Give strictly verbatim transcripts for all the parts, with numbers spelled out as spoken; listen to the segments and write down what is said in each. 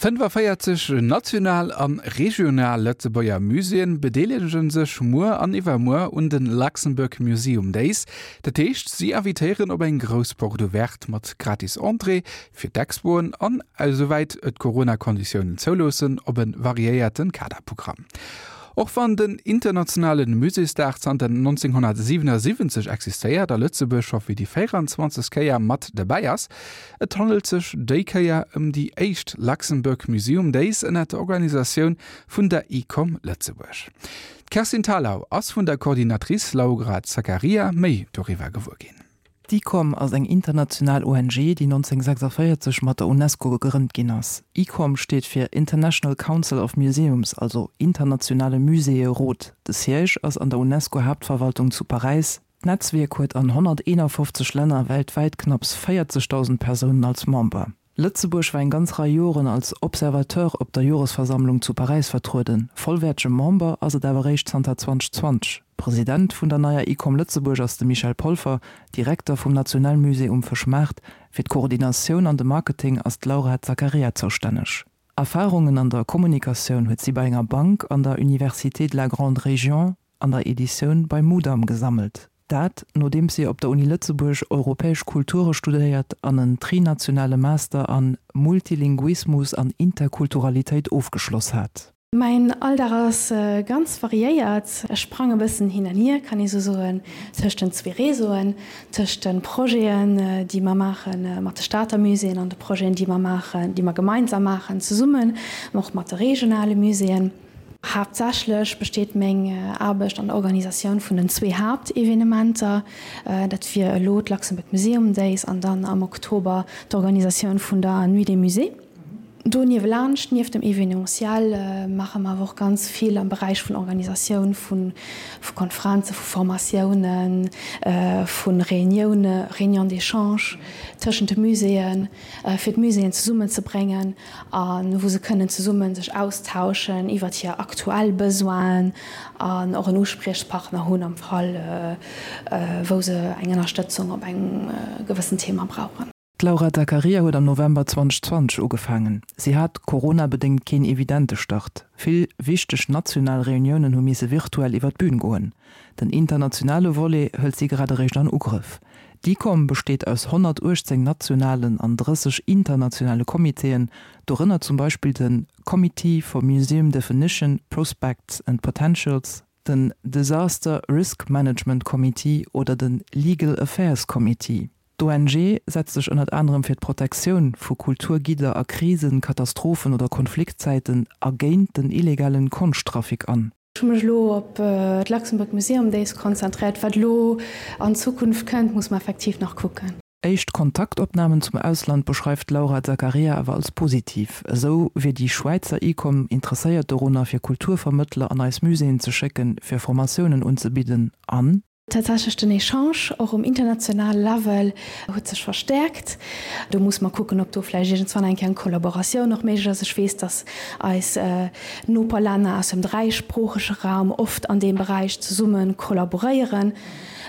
Fënnefaféierzeg national an regional Lëtzebuerger Muséeën bedeelege sech muer an iwwermuer un den Luxembourg Museum Days. Dat heescht, si invitéieren op eng grouss Porte ouverte mat gratis Entrée fir d'Expoen an, esouwäit et d'Corona-Konditiounen zouloossen, op e variéierte Kaderprogramm. Och wann den internationale Muséesdag zanter nonzénghonnertsiwenasiwwenzeg existéiert a Lëtzebuerg scho fir déi véierenzwanzegst Kéier mat derbäi ass, et handelt sech déi Kéier ëm déi éischt Luxembourg Museum Days ënner der Organisatioun vun der ICOM Lëtzebuerg. D'Kerstin Thalau ass vun der Coordinatrice Laura Zaccaria méi doriwwer gewuer ginn. D'ICOM ass eng international O N G, déi nonzénghonnertsechsaféierzeg mat der UNESCO gegrënnt ginn ass. ICOM steet fir International Council of Museums, also internationale Muséeërot. De Siège ass an der UNESCO-Haaptverwaltung zu Paräis. D'Netzwierk huet an honnerteenafofzeg Länner weltwäit knapps véierzegdausend Persounen als Member. Lëtzebuerg war eng ganz Rei Joren als Observateur op der Joresversammlung zu Paräis vertrueden. Vollwäertege Member ass et awer réischt zanter zweedausendenzwanzeg. President vun der neier ICOM Lëtzebuerg ass de Michel Polfer, Direkter vum Nationalmusée um Fëschmaart. Fir d'Koordinatioun an de Marketing ass d'Laura Zaccaria zoustänneg. Erfarungen an der Kommunikatioun huet si bei enger Bank, an der Université de la Grande Région, an der Editioun bei Mudam gesammelt. Dat, nodeems si op der Uni Lëtzebuerg europäesch Kulture studéiert an en trinationale Master an Multilinguismus an Interkulturalitéit ofgeschloss hat. Mäin Alldag ass ganz variéiert. Ech sprange e bëssen hin an hier, kann ee sou soen, tëscht den zwee Réseauen, tëscht de Projeten, déi mer maache mat de Stater Muséeën an de Projeten, déi mer maachen, déi mer gemeinsam maachen zesummen, och mat de regionale Muséeën. Haaptsächlech besteet meng Aarbecht an der Organisatioun vun den zwee Haaptevenementer, dat wier elo d'Luxembourg Museum Days an dann am Oktober d'Organisatioun vun der Nuit des Musées. Do niewelaanscht, nieft dem Evenementiel, maache mer awer och ganz vill am Beräich vun Organisatioun vu Konferenzen, vu Formatiounen, vu Reunioune, Réunions d'échange tëschent de Muséeën, fir d'Muséeën zesummenzebréngen a wou se kënnen zesumme sech austauschen iwwert hir aktuell Besoinen an och en Uspriechpartner hunn am Fall, wou se eng Ënnerstëtzung op engem gewëssen Thema brauchen. D'Laura Zaccaria huet am November zweedausendenzwanzeg ugefaangen. Si hat coronabedéngt keen evidente Start. Vill wichteg national Reuniounen hu misse virtuell iwwer d'Bün goen. Den internationale Volet hëlt si grad eréischt an Ugrëff. D'ICOM besteet aus honnertuechtzéng nationalen an drësseg internationale Comitéen, dorënner zum Beispill de Committee for Museum Definition, Prospects and Potentials, den Disaster Risk Management Committee oder de Legal Affairs Committee. D'O N G setzt sech ënnert anerem fir d'Protektioun vu Kulturgidder a Krisen-, Katastrophen oder Konfliktzäiten a géint den illegalen Konschttrafic an. Ech hu mech elo op d'Luxembourg Museum Days konzentréiert. Wat elo an Zukunft kënnt, muss mer effektiv nach kucken. Éischt Kontaktopnamen zum Ausland beschreift d'Laura Zaccaria awer als positiv. Esou wier déi Schwäizer ICOM interesséiert dorunner, fir Kulturvermëttler an eis Muséeën ze schécken, fir Formatiounen unzebidden an. Tatsächlech den Echange och um internationale Level huet sech verstäerkt. Do muss mer kucken, ob do vläicht iergendswann eng Kéier eng Kollaboratioun och méiglech ass. Ech weess, datt eis Noperlänner aus dem dräisproochege Raum oft an deem Beräich zesumme kollaboréieren,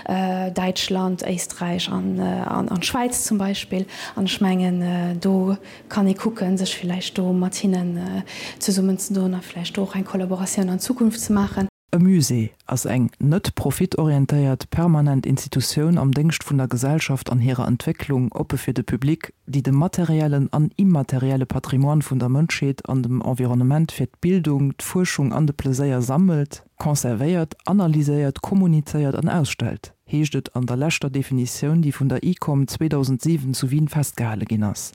Däitschland, Éisträich an d'Schwäiz zum Beispill. An ech mengen, do kann ee kucken, sech vläicht do mat hinnen zesummenzedoen a vläicht do och eng Kollaboratioun an Zukunft ze maachen. E Musée ass eng net profitorientéiert, permanent Institutioun am Déngscht vun der Gesellschaft an hirer Entwécklung, oppe fir de Public, déi de materiellen an immaterielle Patrimoine vun der Mënschheet an dem Environnement fir d'Bildung, d'Fuerschung an de Pleséier sammelt, conservéiert, analyséiert, kommunizéiert an ausstellt, heescht et an der leschter Definitioun, déi vun der ICOM zweedausendsiwen zu Wien festgehale ginn ass.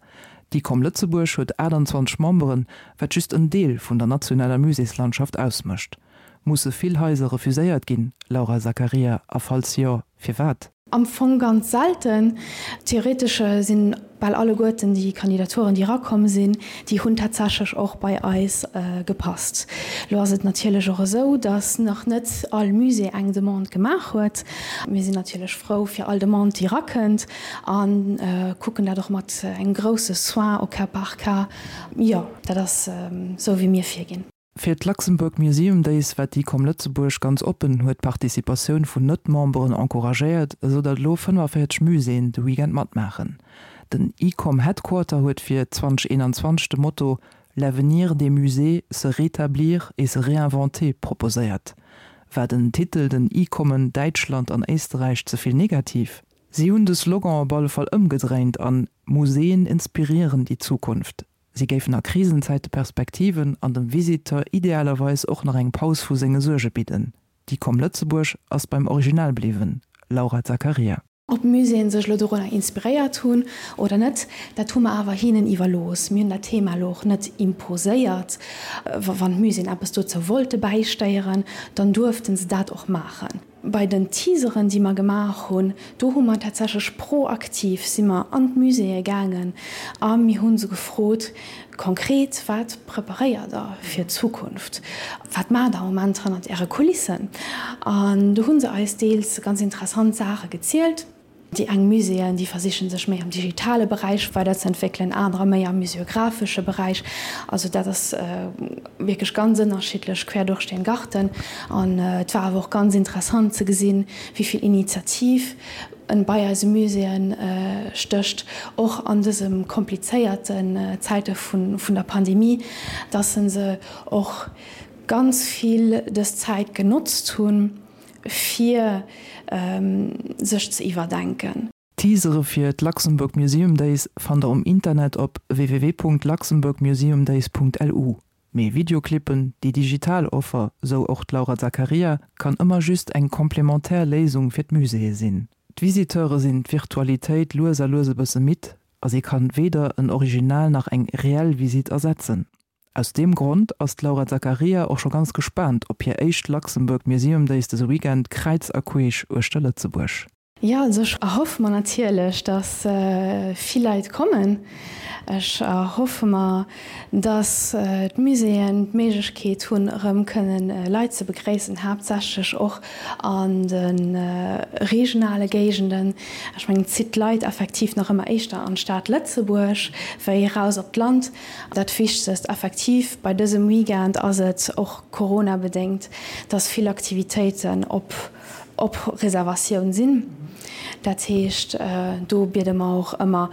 D'ICOM Lëtzebuerg huet aachtanzwanzeg Memberen, wat just en Deel vun der nationaler Muséeslandschaft ausmécht. Musse vill Haiser refuséiert ginn, Laura Zaccaria, a falls jo, firwat? Am Fong ganz selten. Theoretesch sinn bal alleguerten déi Kandidaturen, déi erakomm sinn, déi hunn tatsächlech och bei eis gepasst. Elo ass et natierlech och esou, datt nach net all Musée eng Demande gemaach huet. Mir sinn natierlech frou fir all Demande, déi erakënnt a kucken dat och mat engem grousse Soin au cas par cas. Jo, dat ass esou, wéi mir virginn. Fir d'Luxembourg Museum Days war d'ICOM Lëtzebuerg ganz oppen, huet d'Participatioun vun Net-Memberen encouragéiert, esou datt elo fënnefaféierzeg Muséeën de Weekend matmaachen. Den ICOM Headquarter huet fir zweedausendeenanzwanzeg de Motto L'avenir des musées, se rétablir et se réinventer proposéiert. War den Titel den ICOMen Däitschland an Éisterräich ze vill negativ? Si hunn de Slogan op alle Fall ëmgedréint an Museen inspirieren die Zukunft. Si géifen a Krisenzäite Perspektiven an dem Visiteur idealerweis och nach eng Paus vu senge Suerge bidden. D'ICOM Lëtzebuerg ass beim Original bliwwen. Laura Zaccaria. Ob d'Muséeën sech elo dorunner inspiréiert hunn oder net, dat hu mer awer hinnen iwwerlooss. Mir hunn dat Thema elo och net imposéiert. Wann d'Muséeën eppes dozou wollte bäisteieren, dann duerfte se dat och maachen. Bei den Teaseren, déi mer gemaach hunn, do hu mer tatsächlech proaktiv si mer an d'Muséeë gaangen a mir hu se gefrot, Konkret, wat preparéiert Der fir d'Zukunft? Wat maacht Der am Moment hannert Äre Kulissen? An do hu se eis deels ganz interessant Saache gezielt. Déi eng Muséeën, déi versichen sech méi am digitale Beräich weiderzeentwéckelen, anerer méi am museographesche Beräich. Also dat ass wierklech ganz ënnerschiddlech quer durch den Garten. An et war awer och ganz interessant ze gesinn, wéi vill Initiativ bei eise Muséeën stécht, och an dëse komplizéierten Zäite vun der Pandemie, dass se och ganz vill dës Zäit genotzt hunn, fir sech ze iwwerdenken. D'Teasere fir d'Luxembourg Museum Days fannt der um Internet op www.luxembourgmuseumdays.lu. Mee Videoclippen, déi digital Offer, sou och d'Laura Zaccaria, kann ëmmer just eng komplementär Léisung fir d'Muséeë sinn. D'Visiteure sinn d'Virtualitéit lues a lues e bësse midd a si kann weder en Original nach eng reell Visitt ersetzen. Aus deem Grond ass d'Laura Zaccaria och scho ganz gespaant op hir éischt Luxembourg Museum Days dëse Weekend kräiz a queesch uechter Lëtzebuerg. Jo, also ech erhoffe mer natierlech, dass vill Leit kommen. Ech erhoffe mer, dass d'Muséeën d'Méiglechkeet hunn, erëm kënnen Leit ze begréissen, haaptsächlech och an de regionale Géigenden. Ech mengen, et zitt d'Leit effektiv nach ëmmer éischter an d'Stad Lëtzebuerg wéi eraus op d'Land. Dat Wichtegst effektiv bei dësem Weekend ass et, och coronabedéngt, dass vill Aktivitéiten op op Reservatioun sinn. Dat heescht, do biede mer och ëmmer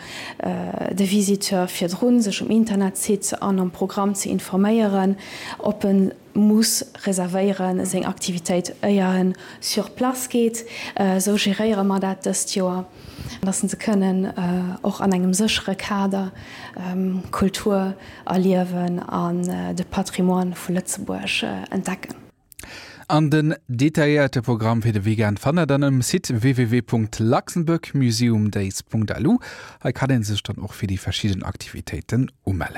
de Visiteur virdrun, sech um Internetsite an am Programm ze informéieren, ob e muss reservéieren seng Aktivitéit, éier en sur place geet. Esou geréiere mer dat dëst Joer, dass se kënnen och an engem séchere Kader Kultur erliewen an de Patrimoine vu Lëtzebuerg entdecken. An den detailléierte Programm fir de Weekend fannt der dann um Site www.luxembourgmuseumdays.lu. Hei kann een sech dann och fir déi verschidden Aktivitéiten umellen.